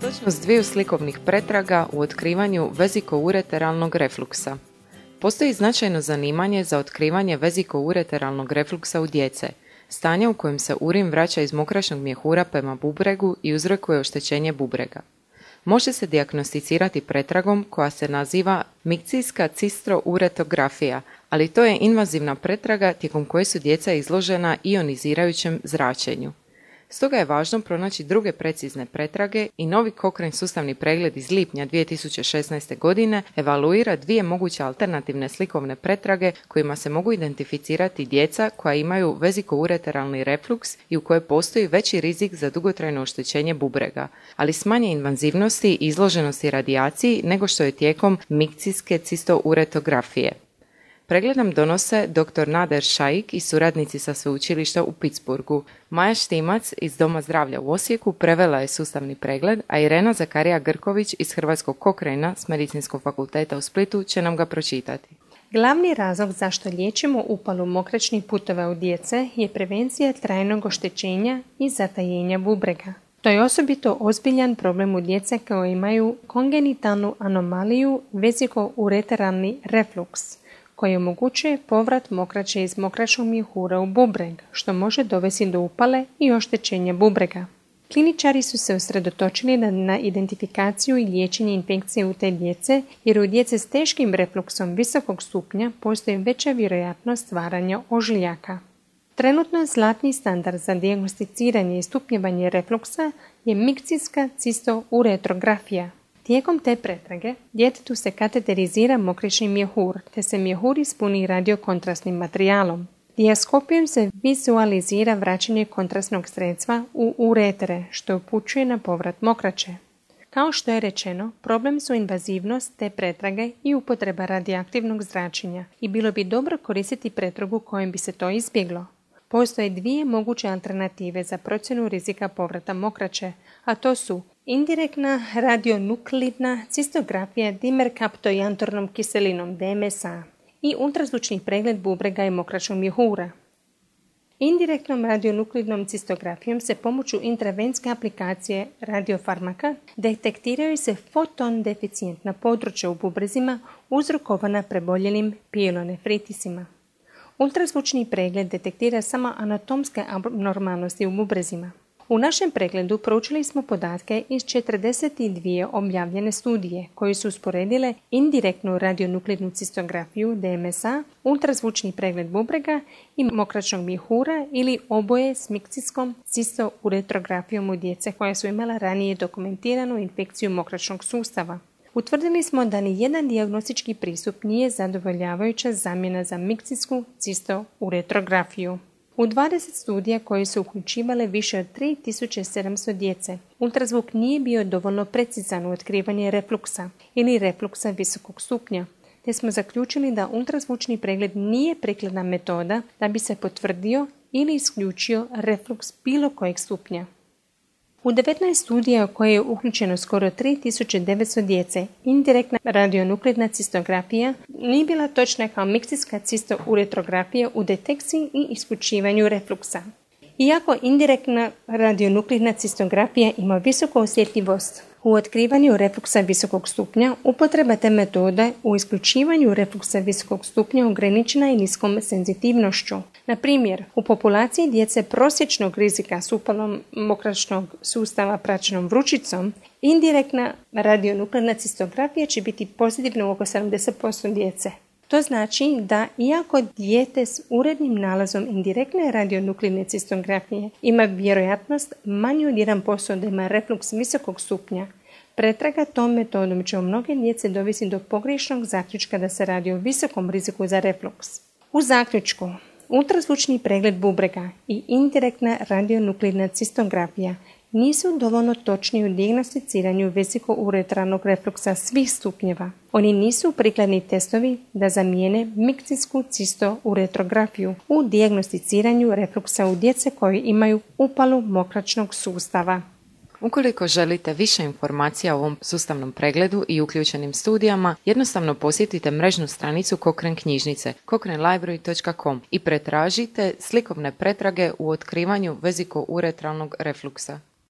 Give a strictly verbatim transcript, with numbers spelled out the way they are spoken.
Točnost dviju slikovnih pretraga u otkrivanju vezikoureteralnog refluksa. Postoji značajno zanimanje za otkrivanje vezikoureteralnog refluksa u djece, stanje u kojem se urin vraća iz mokraćnog mjehura prema bubregu i uzrokuje oštećenje bubrega. Može se dijagnosticirati pretragom koja se naziva mikcijska cistouretografija, ali to je invazivna pretraga tijekom koje su djeca izložena ionizirajućem zračenju. Stoga je važno pronaći druge precizne pretrage i novi Cochrane sustavni pregled iz lipnja dvije tisuće šesnaeste. godine evaluira dvije moguće alternativne slikovne pretrage kojima se mogu identificirati djeca koja imaju vezikoureteralni refluks i u kojoj postoji veći rizik za dugotrajno oštećenje bubrega, ali s manje invazivnosti i izloženosti radijaciji nego što je tijekom mikcijske cistouretografije. Pregled nam donose dr. Nader Shaikh i suradnici sa sveučilišta u Pittsburghu. Maja Štimac iz Doma zdravlja u Osijeku prevela je sustavni pregled, a Irena Zakarija Grković iz Hrvatskog Cochrana s Medicinskog fakulteta u Splitu će nam ga pročitati. Glavni razlog zašto liječimo upalu mokraćnih puteva u djece je prevencija trajnog oštećenja i zatajenja bubrega. To je osobito ozbiljan problem u djece koje imaju kongenitalnu anomaliju vezikoureteralni refluks, koji omogućuje povrat mokraće iz mokraćnog mjehura u bubreg, što može dovesti do upale i oštećenja bubrega. Kliničari su se usredotočili na identifikaciju i liječenje infekcije u te djece, jer u djece s teškim refluksom visokog stupnja postoji veća vjerojatnost stvaranja ožiljaka. Trenutno zlatni standard za dijagnosticiranje i stupnjevanje refluksa je mikcijska cistouretografija. Tijekom te pretrage djetetu se kateterizira mokraćni mjehur, te se mjehur ispuni radiokontrastnim materijalom. Dijaskopijom se vizualizira vraćanje kontrastnog sredstva u uretere, što upućuje na povrat mokraće. Kao što je rečeno, problem su invazivnost te pretrage i upotreba radioaktivnog zračenja i bilo bi dobro koristiti pretragu kojom bi se to izbjeglo. Postoje dvije moguće alternative za procjenu rizika povrata mokraće, a to su indirektna radionuklidna cistografija dimerkaptojantornom kiselinom D M S A i ultrazvučni pregled bubrega i mokraćnog mjehura. Indirektnom radionuklidnom cistografijom se pomoću intravenske aplikacije radiofarmaka detektiraju se foton deficijentna područja u bubrezima uzrokovana preboljelim pielonefritisima. Ultrazvučni pregled detektira samo anatomske abnormalnosti u bubrezima. U našem pregledu proučili smo podatke iz četrdeset dvije objavljene studije koje su usporedile indirektnu radionuklidnu cistografiju D M S A, ultrazvučni pregled bubrega i mokraćnog mjehura ili oboje s mikcijskom cistouretrografijom u djece koja su imala ranije dokumentiranu infekciju mokraćnog sustava. Utvrdili smo da ni jedan dijagnostički pristup nije zadovoljavajuća zamjena za mikcijsku cistouretrografiju. U dvadeset studija koje su uključivale više od tri tisuće sedamsto djece, ultrazvuk nije bio dovoljno precizan u otkrivanje refluksa ili refluksa visokog stupnja, te smo zaključili da ultrazvučni pregled nije prikladna metoda da bi se potvrdio ili isključio refluks bilo kojeg stupnja. U devetnaest studija u koje je uključeno skoro tri tisuće devetsto djece, indirektna radionuklidna cistografija nije bila točna kao mikcijska cistouretrografija u detekciji i isključivanju refluksa. Iako indirektna radionuklidna cistografija ima visoku osjetljivost u otkrivanju refluksa visokog stupnja, upotreba te metode u isključivanju refluksa visokog stupnja ograničena je niskom senzitivnošću. Na primjer, u populaciji djece prosječnog rizika s upalom mokraćnog sustava praćenom vrućicom, indirektna radionuklidna cistografija će biti pozitivna u oko sedamdeset posto djece. To znači da iako dijete s urednim nalazom indirektne radionuklidne cistografije ima vjerojatnost manju od jedan posto da ima refluks visokog stupnja, pretraga tom metodom će u mnoge djece dovesti do pogrešnog zaključka da se radi o visokom riziku za refluks. U zaključku, ultrazvučni pregled bubrega i indirektna radionuklidna cistografija nisu dovoljno točni u dijagnosticiranju vezikoureteralnog refluksa svih stupnjeva. Oni nisu prikladni testovi da zamijene mikcijsku cistouretrografiju u dijagnosticiranju refluksa u djece koji imaju upalu mokraćnog sustava. Ukoliko želite više informacija o ovom sustavnom pregledu i uključenim studijama, jednostavno posjetite mrežnu stranicu Cochrane knjižnice cochrane library dot com i pretražite slikovne pretrage u otkrivanju vezikoureteralnog refluksa.